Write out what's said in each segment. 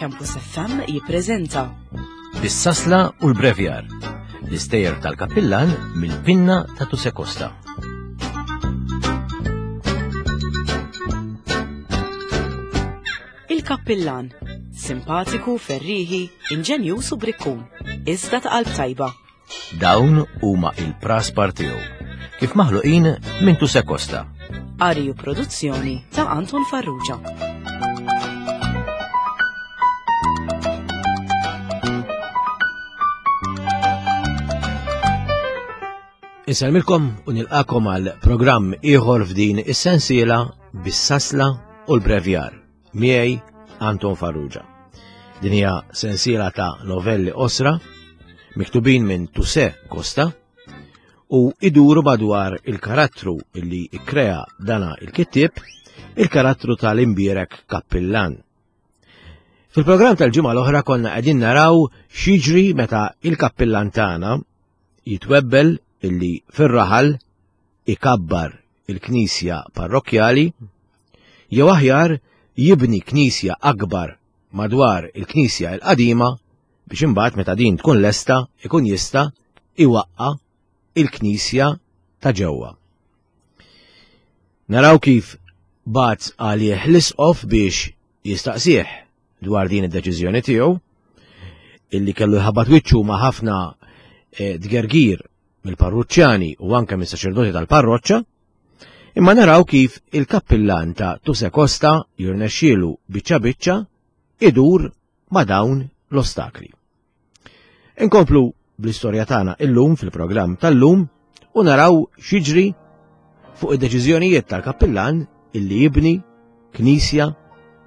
Campus FM jippreżenta Bis-sasla u l-brevjar, l-istejjer tal-kappillan mill-pinna ta' Tuse Costa. Il-Kappillan, simpatiku, ferriħi, inġenjuż u brikkun, iżda ta' qalb tajba. Dawn huma il-praspar tiegħu, kif maħluqin minn Tuse Costa. Qari u produzzjoni ta' Anton Farrugia. Insellmilkom u nilqakom għal programm ieħor f'din is-sensiela bis-sasla u l-brevjar. Miegħi Anton Farrugia. Din hija sensiela ta' novelli qosra miktubin minn Tuse Costa u iduru madwar il-karattru li ikkrea dana il-kittieb, il-karattru tal-imbierek kappillan. Fil-programm tal-ġimgħa l-oħra konna qegħdin naraw x'jiġri meta il-kappillan tagħna jitwebbel illi fir-raħal ikabbar il-knisja parrokkjali jew aħjar jibni knisja akbar madwar il-knisja l-qadima biex imbagħad meta din tkun lesta ikun jista' iwaqqa' il-knisja ta' ġewwa. Naraw kif bagħat għalih l-isqof biex jistaqsih dwar din id-deċiżjoni tiegħu illi kellu jħabbat wiċċu ma' ħafna eh, tgergir mill-parruċċjani u anke mis-saċerdoti tal-parroċċa, imma naraw kif il-kappillan ta' Tuse Costa jirnexxielu biċċa biċċa idur ma' dawn l-ostakli. Inkomplu bl-istorja tagħna illum fil-programm tal-lum u naraw x'jiġri fuq id-deċiżjonijiet tal-kappillan illi jibni knisja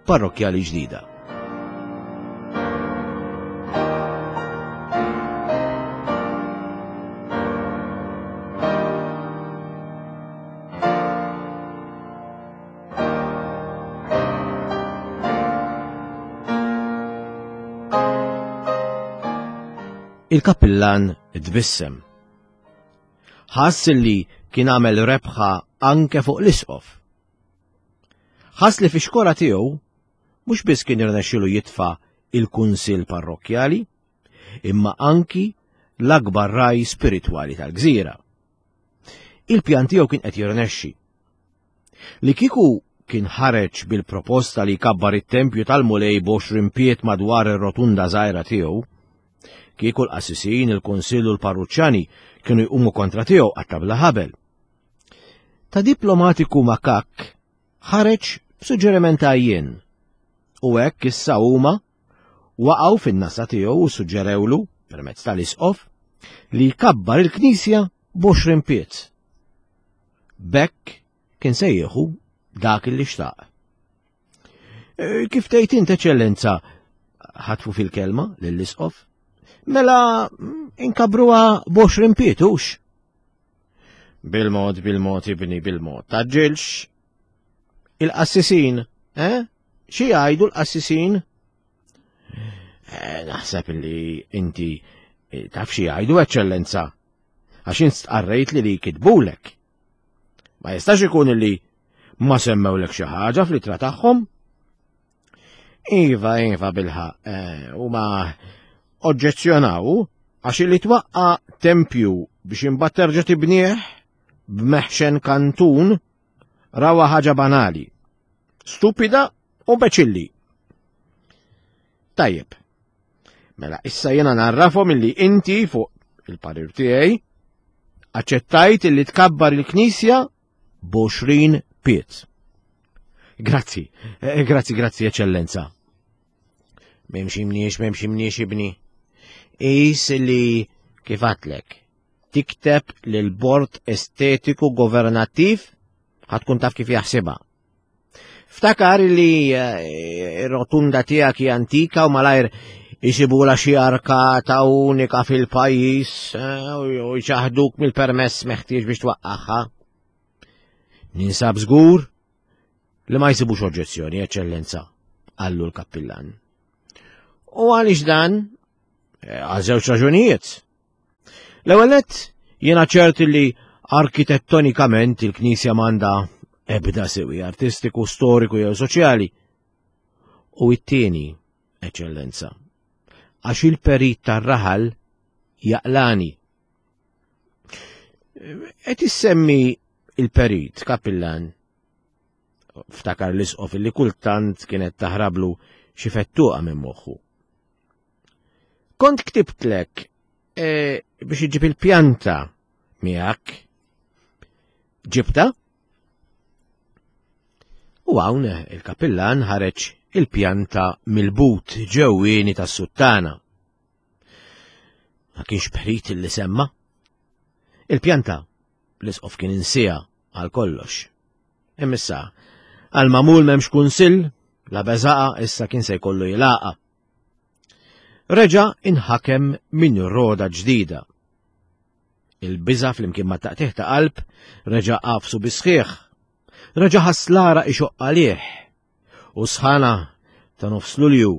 parrokkjali ġdida. Il-kappillan tbissem. Ħass li kien għamel rebħa anke fuq l-isqof. Ħass li fi xkora tiegħu mhux biss kien irnexxielu jitfa' il-kunsill parrokkjali, imma anki l-akbar raj spiritwali tal-gżira. Il-pjan tiegħu kien qed jirnexxi. Li kieku kien ħareġ bil-proposta li jkabbar it-tempju tal-Mulej b'għoxrin pied madwar ir-rotunda żgħira tiegħu, kieku l-qassisin, il-kunsill u l-parruċċani kienu jqumu kontra tiegħu qatta' bla ħabel. Ta' diplomatiku makakk ħareġ b'suġġeriment għajjien u hekk issa huma waqgħu fin-nasa tiegħu u suġġerewlu permezz tal-isqof li jkabbar il-knisja b'għoxrin pied. B'hekk kien se jieħu dak li xtaq. E, kif tgħid int eċċellenza ħatfu fil-kelma lill-isqof? Mela inkabruha b'għoxrin pied hux? Bil-mod, bil-mod, ibni, bil-mod. Taġġilx. Il-qassisin, eh? Xi jgħidu l-qassisin? Eh, naħseb li inti eh, taf xi jgħidu eċċellenza. Għax int stqarrejt li li kitbulek. Ma jistax ikun li ma semmewlek xi ħaġa fl-ittra tagħhom. Iva, iva bilħa, eh, u ma oġġezzjonaw għax li twaqqa tempju biex imbagħad terġa' tibnieh b'meħxen kantun rawa ħaġa banali, stupida u beċilli. Tajjeb, mela issa jena narrafhom illi inti fuq il-parir tiegħi aċċettajt illi tkabbar il-knisja b'għoxrin pied. Grazzi, eh, grazzi, grazzi, eċellenza. Memx imniex, memx imniex ibni. Is li kif għatlek, tikteb lil bord estetiku governattiv ħatkun taf kif jaħsibha. Ftakar li eh, rotunda tiegħek hija antika u malajr jisibula xi arkata unika fil-pajjiż eh, u jċaħduk mill-permess meħtieġ biex twaqqagħha. Ninsab żgur li ma jsibux oġġezzjoni, eċċellenza, qallu l-kappillan. U għaliex dan? Eh, għal żewġ raġunijiet. L-ewwel nett jiena ċert li arkitettonikament il-Knisja m'għandha ebda siwi artistiku, storiku jew soċjali. U it-tieni, Eċċellenza, għax il-perit tar-raħal jaqlani. Qed issemmi il-perit, kapillan, ftakar l-isqof li kultant kienet taħrablu xi fettuqa minn moħħu. Kont ktibtlek e, biex iġib il-pjanta miegħek. Ġibta? U hawn il-kapillan ħareġ il-pjanta mill-but ġewwieni tas-suttana. Ma kienx perit li semma. Il-pjanta l-isqof kien insija għal kollox. Imissa, għal mamul memx kunsill, la beżaqa issa kien se jkollu jilaqa. Reġa inħakem minn roda ġdida. Il-biża flimkien ma' taqtiħ ta' qalb reġa' qafsu bisħiħ. Reġa' ħass l-għaraq ixoqq għalih. U sħana ta' nofs Lulju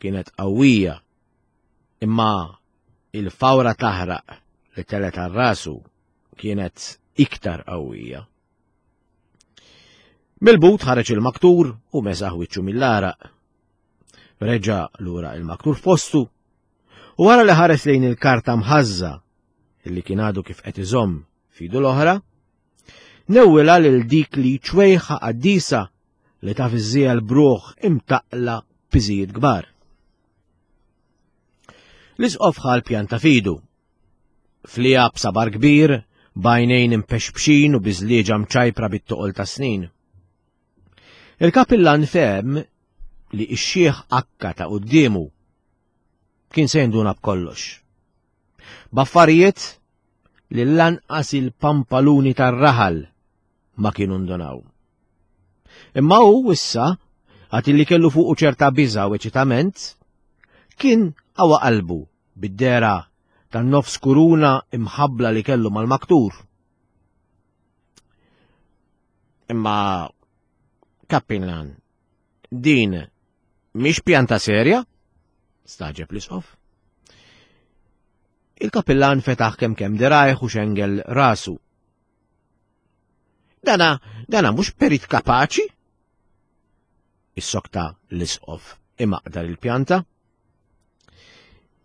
kienet qawwija. Imma il-fawra taħraq li telet għal rasu kienet iktar qawwija. Mill-but ħareġ il-maktur u mesaħ wiċċu mill-għaraq. Reġa' lura il-maktur f'postu u wara li ħares lejn il-karta mħażża li kien għadu kif qed iżomm fidu l-oħra, newwilha lil dik li ċwejħa qaddisa li taf iżżiegħel bruħ imtaqla piżijiet kbar. L-isqof ħa l-pjan ta' fidu. Flija b'sabar kbir, b'għajnejn impexpxin u biżlieġa mċajpra bit-toqol ta' snin. Il-kapillan fehem li x-xiħ akka ta' quddiemu kien se jinduna b'kollox. B'affarijiet li lanqas il-pampaluni tar-raħal ma kienu ndunaw. Imma hu issa, għad li kellu fuqu ċerta biża' u eċitament, kien qawa qalbu bid-dehra tan-nofs kuruna imħabbla li kellu mal-maktur. Imma Kappillan, din mhix pjanta serja? Staġeb l-isqof. Il-kapillan fetaħ kemm kemm dirajh u xengel rasu. Dana, dana mhux perit kapaċi? Is-sokta l-isqof imaqdar il-pjanta.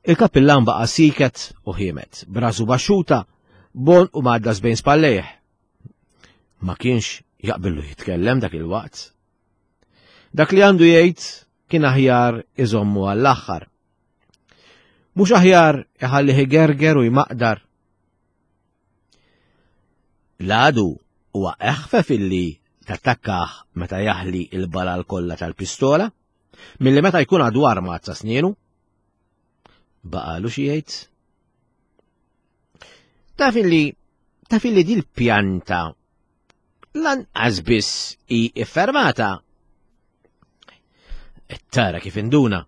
Il-kapillan baqa' siket u ħiemet, brażu baxxuta, bon u maddas bejn spallejh. Ma kienx jaqbillu jitkellem dak il-waqt. Dak li għandu jgħid kien aħjar iżommu għall-aħħar. Mhux aħjar iħallih igerger u jmaqdar. L-għadu huwa eħfef illi tattakkah meta jaħli il-balal kollha tal-pistola milli meta jkun għadu armat sa snienu. Baqalu xi jgħid? Taf illi taf illi dil-pjanta lanqas biss hi iffermata. Tara kif induna,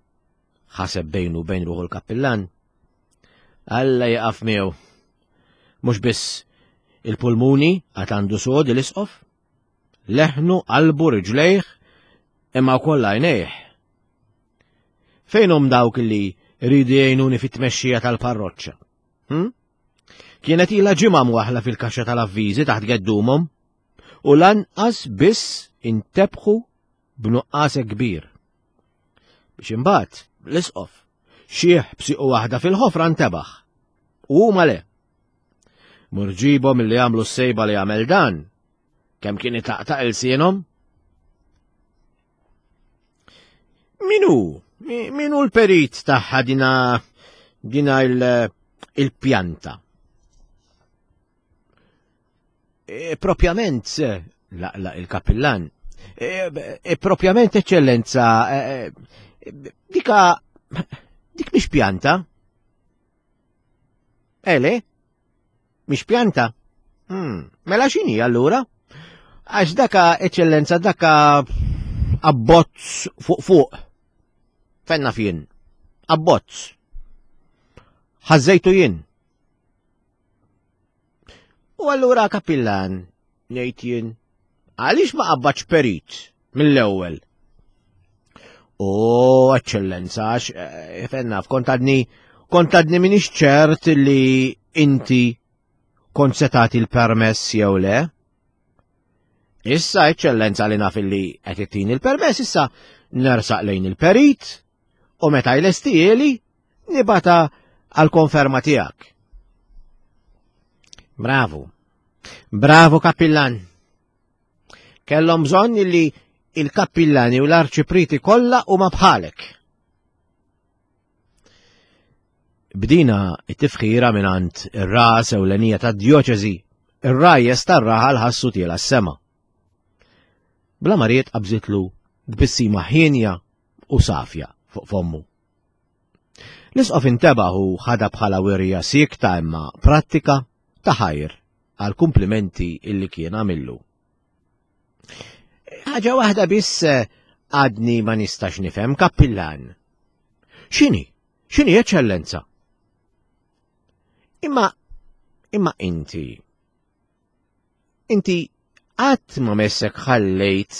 ħaseb bejnu bejn ruħu l-kappillan. Alla jaqaf miegħu. Mhux biss il-pulmuni għad għandu sod l-isqof, leħnu, qalbu, riġlejh, imma wkoll għajnejh. Fejn hum dawk li rridu jgħinuni fit-tmexxija tal-parroċċa? Hm? Kienet ilha ġimgħa mwaħla fil-kaxxa tal-avviżi taħt geddumhom u lanqas biss intebħu b'nuqqas kbir. Biex imbagħad l-isqof xieħ b'siqu waħda fil-ħofra ntebaħ. U huma le. Murġibhom li għamlu s-sejba li għamel dan, kemm kien itaqtaq ilsienhom? Minu? Minu l-perit tagħha dina dina il-pjanta? E, propjament, laqla il-kapillan, e, e, propjament eċċellenza, dika dik mhix pjanta. Ele? Mhix pjanta? Hmm, mela x'inhi allura? Għax daka eċċellenza daka abbozz fuq fuq. Fenna fien. Abbozz. Ħażejtu jien. U allura kapillan, ngħid jien, għaliex ma qabadx perit mill-ewwel? O, eċċellenza, għax eh, fenna, kont għadni kont għadni minix ċert li inti kont se tagħti l-permess jew le. Issa, eċċellenza li naf li qed ittini l-permess, issa nersaq lejn il-perit. U meta jlestieli, nibata għal-konferma tiegħek. Bravu. Bravu kappillan. Kellhom bżonn illi il-kappillani u l-arċipriti kollha huma bħalek. Bdina it-tifħira mingħand ir-ras ewlenija tad-djoċesi, ir-rajjes tar-raħal ħassu tiela s-sema. Bla ma ried qabżitlu tbissima ħienja u safja fuq fommu. L-isqof intebaħ u ħadha bħala wirja siekta imma prattika ta' ħajr għal kumplimenti illi kien għamillu. Ħaġa waħda biss eh, għadni ma nistax nifhem kappillan. X'inhi? X'inhi eċċellenza? Imma imma inti inti qatt ma messek ħallejt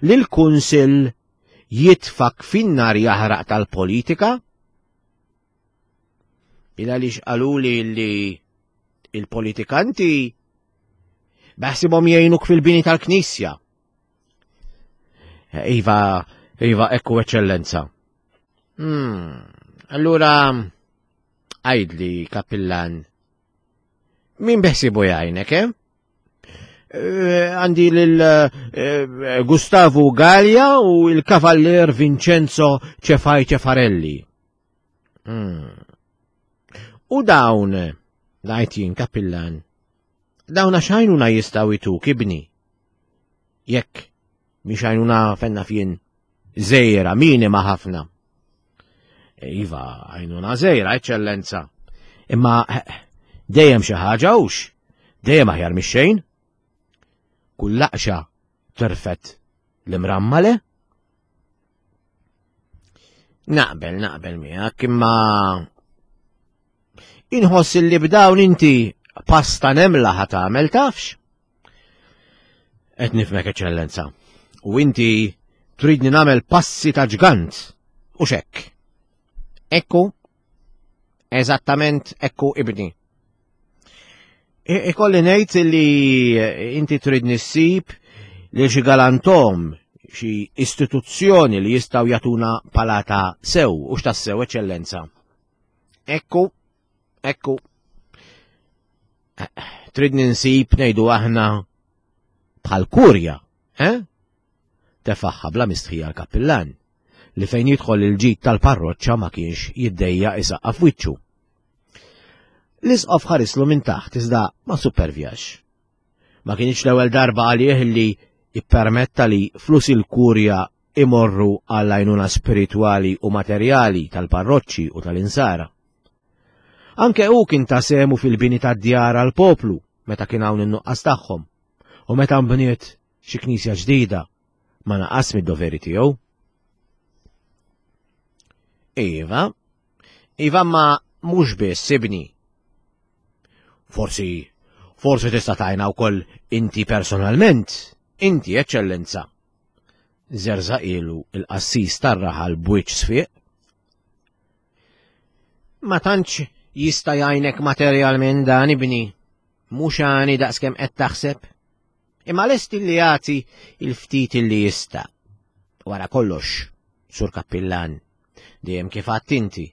li l-Kunsill jitfak fin-nar jaħraq tal-politika? Il għaliex qaluli li il-politikanti beħsibhom jgħinuk fil-bini tal-Knisja. Iva, iva, ekku eċċellenza. Hmm, allura, għajdli, kapillan, min beħsibu jgħinek, eh? eh? Għandi lil eh, Gustavo Gallia u il-kavallier Vincenzo Cefai Cefarelli. Hmm. U dawn, ngħid jien kapillan, dawn għax għajnuna jistgħu jtuk ibni. Jekk mhix għajnuna fenna fien żejra, minima ħafna. Iva, għajnuna żejra, eċċellenza. Imma eh, dejjem xi ħaġa hux, dejjem aħjar mix-xejn. Kull laqxa terfet l-imrammale? Naqbel, naqbel miegħek, imma inħoss li b'dawn inti pasta nemla ħa tagħmel tafx. Qed nifmek eċċellenza. U inti tridni nagħmel passi ta' ġgant u xekk. Ekku, eżattament ekku ibni. Ikolli ngħid li inti trid nissib li xi galantom xi istituzzjoni li jistgħu jagħtuna palata sew u x'tassew eċċellenza. Ekku, ekku. Trid ninsib ngħidu aħna bħal kurja, eh? Tefaħħa bla mistħija l-kappillan li fejn jidħol il-ġid tal-parroċċa ma kienx jiddejja isaqqaf wiċċu. L-isqof ħarislu minn taħt iżda ma supervjax. Ma kienx l-ewwel darba għalih li ippermetta li flus il-kurja imorru għall-għajnuna spiritwali u materjali tal-parroċċi u tal-insara. Anke hu kien ta' sehmu fil-bini tad-djar għall-poplu meta kien hawn in-nuqqas tagħhom u meta nbniet xi knisja ġdida ma naqas mid-doveri tiegħu. Iva, Iva ma mhux biss ibni. Forsi, forsi tista' tajna wkoll inti personalment, inti eċċellenza. Żerżaqilu il-qassis tar-raħal b'wiċċ sfiq. Ma tantx jista' jgħinek materjalment dan ibni, mhux għani daqskemm qed taħseb. Imma lest li jagħti il-ftit li jista'. Wara kollox, Sur Kappillan, dejjem kif għadt inti,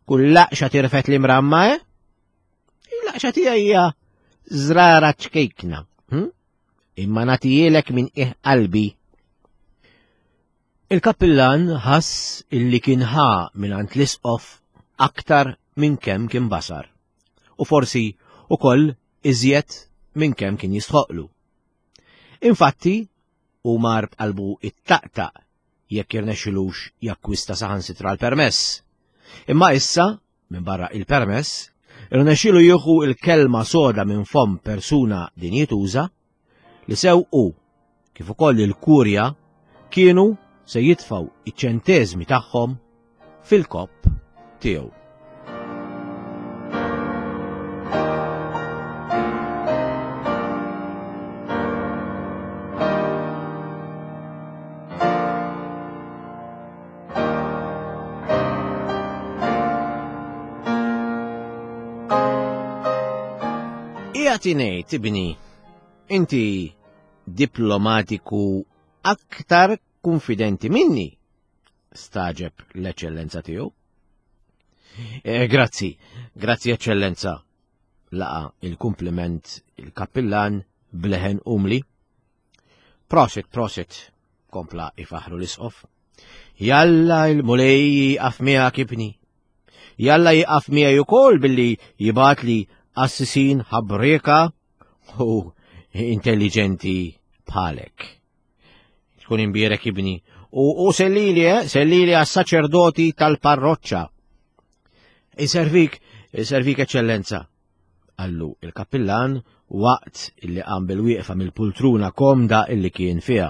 kull laqxa tirfet li mramma, eh? Il-laqxa tiegħi hija żrara ċkejkna, hm? imma nagħtijielek minn qiegħ qalbi. Il-kappillan ħass illi kien ħa mingħand l-isqof aktar minn kemm kien basar, u forsi ukoll iżjed minn kemm kien jistħoqlu. Infatti, hu mar b'qalbu ittaqtaq jekk jirnexxilux jakkwista saħansitra l-permess. Imma issa, minn barra il-permess, irnexxilu jieħu il-kelma soda minn fomm persuna dinjituża li sew hu kif ukoll il-kurja kienu se jitfgħu iċ-ċenteżmi tagħhom fil-kopp tiegħu. Qiegħed ingħid ibni, inti diplomatiku aktar kunfidenti minni. Staġeb l-Eċċellenza tiegħu. Eh, grazzi, grazzi Eċċellenza, laqa il-kumpliment il-kappillan bleħen umli. Prosit, prosit, kompla ifaħru l-isqof. Jalla il-mulej jiqaf miegħek ibni. Jalla jiqaf miegħi ukoll billi jibgħatli assisin ħabrieka u intelligenti bħalek. Tkun imbierek ibni. U, u sellili, eh, sellili għas-saċerdoti tal-parroċċa. Iservik, iservik eċċellenza. Allu il-kappillan waqt illi qam bil-wieqfa mill-pultruna komda illi kien fiha.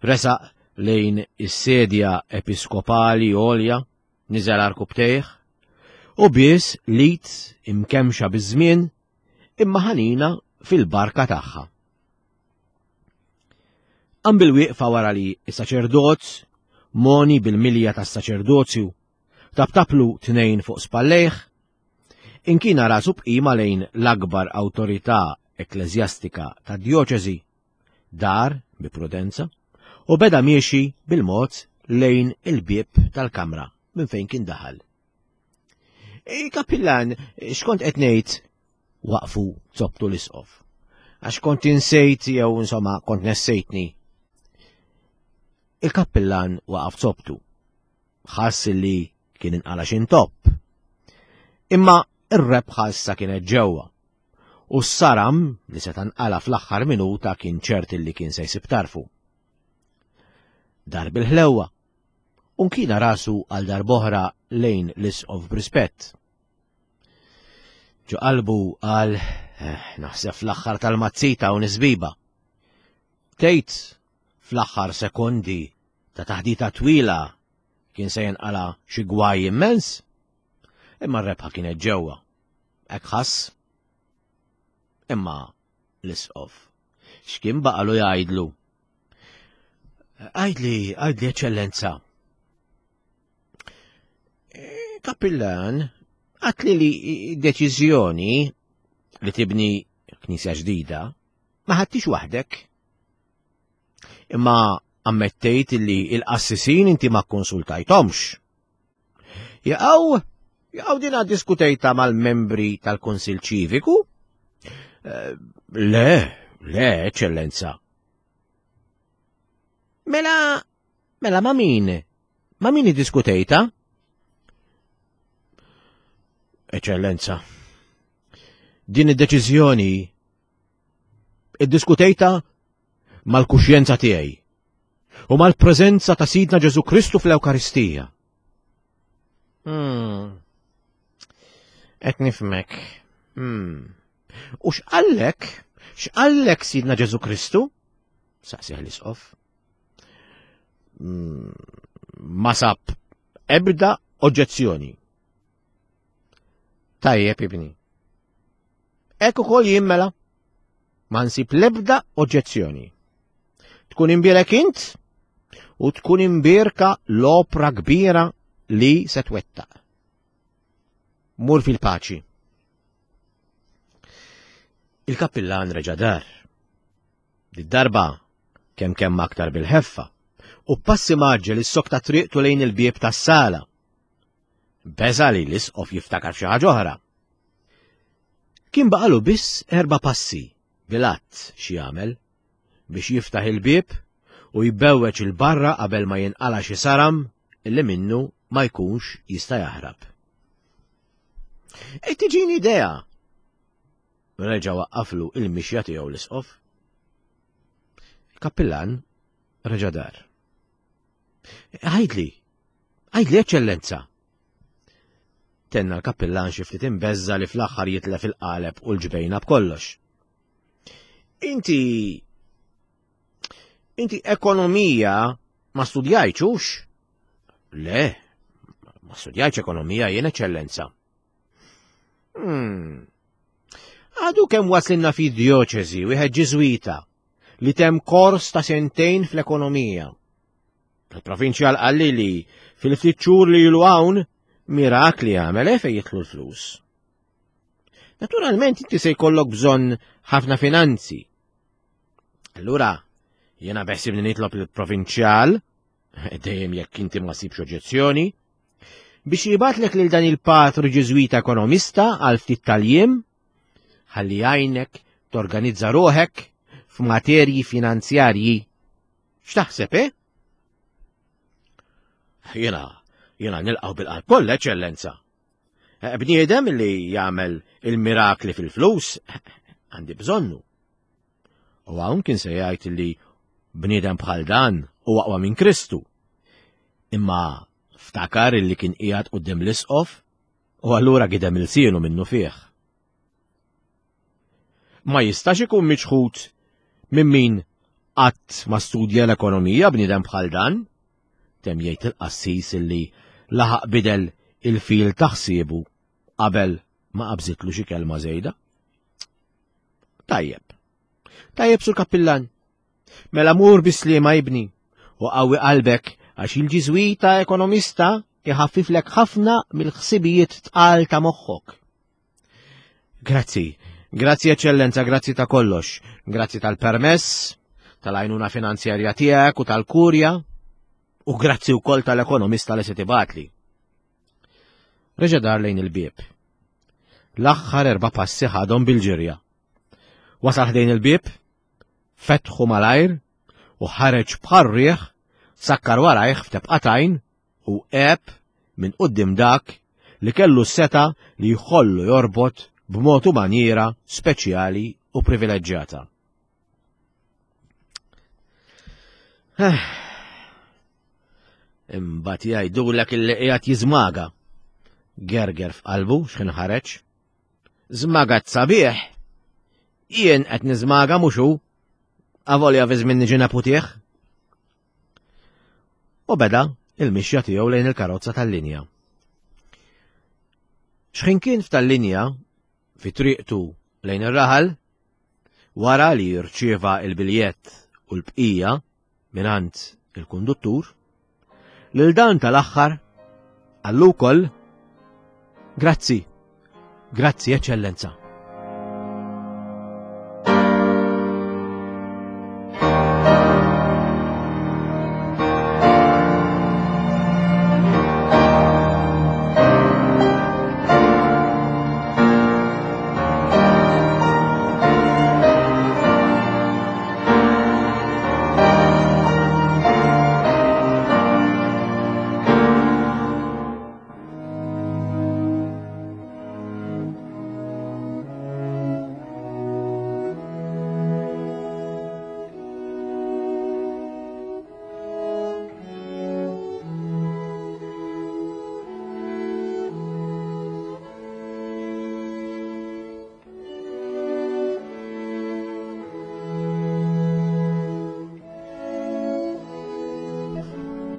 Resaq lejn is-sedja episkopali għolja, niżel arkubtejh, u bies lit imkemxa biż-żmien imma ħanina fil-barka tagħha. Qam bil-wieqfa wara li s-saċerdot, moni bil-milja tas-saċerdozju, taptaplu tnejn fuq spallejh, inkina rasu b'qima lejn l-akbar awtorità ekkleżjastika tad-djoċesi, dar bi prudenza u beda miexi bil-mod lejn il-bieb tal-kamra minn fejn kien daħal. Kapillan, x'kont qed ngħid? Waqfu zobtu l-isqof. Għax kont insejt jew insomma kont nessejtni. Il-kappillan waqaf zobtu. Ħass li kien inqala xi ntopp. Imma ir-rebħa issa kienet ġewwa. U s-saram li seta' nqala fl-aħħar minuta kien ċert li kien se jsib tarfu. Dar bil-ħlewwa, u nkina rasu għal darb'oħra lejn l-isqof b'rispett. Ġo qalbu qal eh, naħseb fl-aħħar tal-mazzita u nisbiba. Tgħid fl-aħħar sekondi ta' taħdita twila kien se jinqala xi gwaj immens, imma r-rebħa kienet ġewwa. Hekk ħass. Imma l-isqof x'kien baqalu jgħidlu? Għidli, għidli eċċellenza. Kappillan, għatli li deċiżjoni li tibni knisja ġdida ma ħadtix waħdek. Imma ammettejt li il-qassisin inti ma konsultajtomx. Jaqaw, jaqaw dina diskutejta mal-membri tal-Kunsil Ċiviku? Eh, le, le, eċċellenza. Mela, mela ma min? Ma min iddiskutejta? Eċċellenza, din id-deċiżjoni iddiskutejta mal-kuxjenza tiegħi u mal-preżenza ta' Sidna Ġesu Kristu fl-Ewkaristija. Hmm. Qed nifhmek. Hmm. U x'qallek? X'qallek Sidna Ġesu Kristu? Saqsih l-isqof. Hmm. Ma sab ebda oġġezzjoni. Tajjeb ibni. Hekk ukoll jien mela. Ma nsib l-ebda oġġezzjoni. Tkun imbierek int u tkun imbierka l-opra kbira li se twettaq. Mur fil-paċi. Il-kappillan reġa' dar. Did-darba kemm kemm aktar bil-ħeffa u passi maġġel is-sokta triqtu lejn il-bieb tas-sala. Beża li l-isqof jiftakar f'xi ħaġa oħra. Kien baqalu biss erba' passi bil-għadd xi jagħmel biex jiftaħ il-bieb u jbewweġ 'il barra qabel ma jinqala' xi saram li minnu ma jkunx jista' jaħrab. Qed tiġini idea! Reġa' waqqaflu il-mixja tiegħu l-isqof. Il-kappillan reġa' dar. Għidli, għidli eċċellenza! Tenna l-kappillan xi ftit imbeżża li fl-aħħar jitlef il-qaleb u l-ġbejna b'kollox. Inti Inti ekonomija ma studjajtx hux? Le, ma studjajtx ekonomija jien eċċellenza. Hmm. Għadu kemm waslinna fi dioċesi wieħed ġiżwita li tem kors ta' sentejn fl-ekonomija. Il-provinċjal qalli li fil-ftit xhur li ilu hawn mirakli għamel eh, fejn jidħlu l-flus. Naturalment inti se jkollok bżonn ħafna finanzi. Allura, jiena beħsibni nitlob il-provinċjal. dejjem jekk inti ma sibx oġġezzjoni, biex jibatlek lil dan il-patru Ġiżwita ekonomista għal ftit tal-jiem, ħalli jgħinek torganizza ruħek f'materji finanzjarji. X'taħseb, eh? Jiena, jiena nilqgħu bil-qalb kollha, eċċellenza. Eh, bniedem li jagħmel il-mirakli fil-flus għandi bżonnu. U hawn kien se jgħid li bniedem bħal dan u aqwa minn Kristu. Imma ftakar illi kien qiegħed quddiem l-isqof u allura gidem ilsienu minnu fih. Ma jistax ikun miċħud minn min qatt ma studja l-ekonomija bniedem bħal dan, temm jgħid il-qassis illi laħaq bidel il-fil ta' ħsiebu qabel ma qabżitlu xi kelma żejda. Tajjeb. Tajjeb sur kappillan. Mela mur bis-sliema ibni u qawwi qalbek għax il-ġiżwita ekonomista iħaffiflek ħafna mill-ħsibijiet tqal ta' moħħok. Grazzi, grazzi eċċellenza, grazzi ta' kollox, grazzi tal-permess, tal-għajnuna finanzjarja tiegħek u tal-kurja, u grazzi wkoll tal-ekonomista li se tibatli. Reġa' dar lejn il-bieb. L-aħħar erba' passi ħadhom bil-ġirja. Wasal ħdejn il-bieb, fetħu malajr u ħareġ bħal rieħ, sakkar warajh f'tebqatajn u għeb minn quddiem dak li kellu s-setgħa li jħollu jorbot b'mod u manjiera speċjali u privileġġjata. Imbagħad jgħidulek illi qiegħed jiżmaga. Gerger f'qalbu x'ħin ħareġ. Żmagat sabiħ. Jien qed niżmaga mhux hu. Avolja fi żmien niġi neputih. U beda il-mixja tiegħu lejn il-karozza tal-linja. X'ħin kien f'tal-linja fi triqtu lejn ir-raħal, wara li rċieva il-biljett u l-bqija mingħand il-konduttur, lil dan tal-aħħar qallu wkoll Grazzi, grazzi eċċellenza.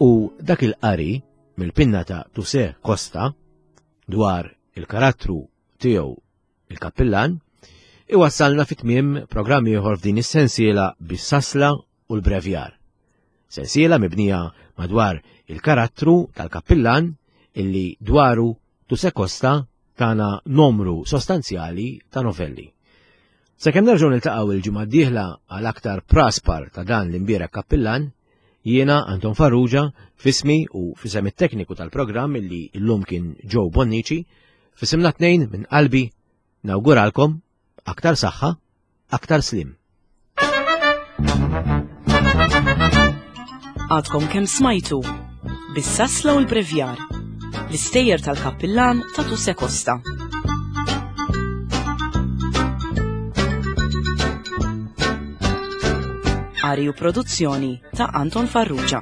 U dak il-qari mill-pinna ta' Tuse Costa dwar il-karattru tiegħu il-kappillan iwassalna fit tmiem programm ieħor f'din is-sensiela bis-sasla u l-brevjar. Sensiela mibnija madwar il-karattru tal-kappillan illi dwaru Tuse Costa tana numru sostanzjali ta' novelli. Sakemm nerġgħu niltaqgħu il-ġimgħa d-dieħla għal aktar praspar ta' dan l-imbierek kappillan, jiena Anton Farrugia fismi u fisem it-tekniku tal-programm illi llum kien Joe Bonnici, fisimna tnejn minn qalbi nawguralkom aktar saħħa, aktar slim. Għadkom kemm smajtu bis-sasla u l-brevjar l-istejjer tal-kappillan ta' Tuse Costa. Qari u produzzjoni ta' Anton Farrugia.